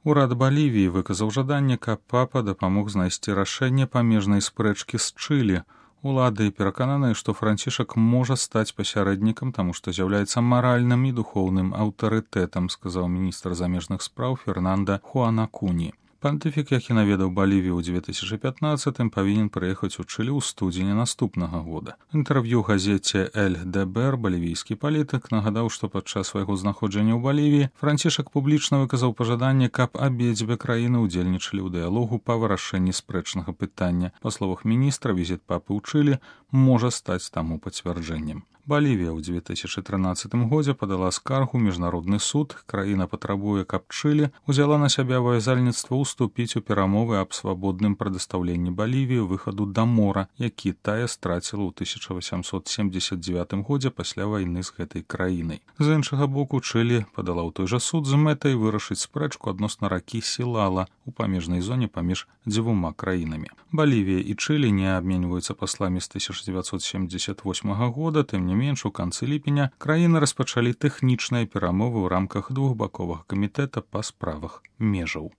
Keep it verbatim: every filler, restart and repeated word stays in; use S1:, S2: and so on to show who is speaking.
S1: Урад Балівіі выказаў жаданне, каб папа дапамог знайсці рашэнне памежнай спрэчкі з Чылі. Улады перакананыя, што Францішак можа стаць пасярэднікам, таму што з'яўляецца маральным і духоўным аўтарытэтам, сказаў міністр замежных спраў Фернанда Хуанакуні. Пантыфік, які наведаў Балівію ў дзве тысячы пятнаццатым, павінен прыехаць у Чылі ў студзені наступнага года. Інтэрв'ю газеце «Эль Дебер» балівійскі палітык нагадаў, што падчас свайго знаходжання ў Балівіі Францішак публічна выказаў пажаданне, каб абедзве краіны ўдзельнічалі ў дыялогу па вырашэнні спрэчнага пытання. Па словах міністра, візіт папы ў Чылі можа стаць таму пацвярджэннем. Балівія ў дзве тысячы трынаццатым годзе падала скаргу ў міжнародны суд. Краіна патрабуе, каб Чылі ўзяла на сябе абавязальніцтва уступіць у перамовы аб свабодным прадастаўленні Балівіі выхаду да мора, які тая страціла ў тысяча васямсот семдзесят дзевятым годзе пасля вайны з гэтай краінай. З іншага боку, Чылі падала ў той жа суд з мэтай вырашыць спрэчку адносна ракі Сілала у памежнай зоне паміж дзвюма краінамі. Балівія і Чылі не абменьваюцца пасламі з тысяча дзевяцьсот семдзесят восьмага года, тым не менш, у канцы ліпеня краіны распачалі тэхнічныя перамовы ў рамках двухбаковага камітэта па справах межаў.